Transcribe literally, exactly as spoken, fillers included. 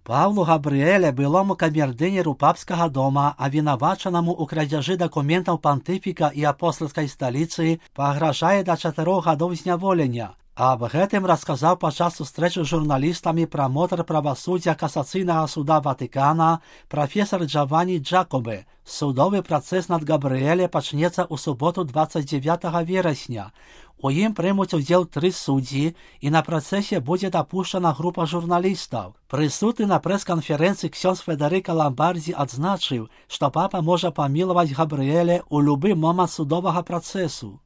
Павлу Габрыэле, былому камердынеру папскага дома, абвінавачанаму ў крадзяжы дакументаў пантыфіка і апостальскай сталіцы, пагражае да чатырох гадоў зняволення. Аб гэтым расказаў падчас сустрэчы з журналістамі прамотар правасуддзя касацыйнага суда Ватыкана прафесар Джаванні Джакобе. Судовы працэс над Габрыэле пачнецца ў суботу дваццаць дзевятага верасня. У ім прымуць удзел тры суддзі, і на працэсе будзе дапушчана група журналістаў. Прысутны на прэс-канферэнцыі ксёндз Федэрыка Ламбардзі адзначыў, што папа можа памілаваць Габрыэле ў любы момант судовага працэсу.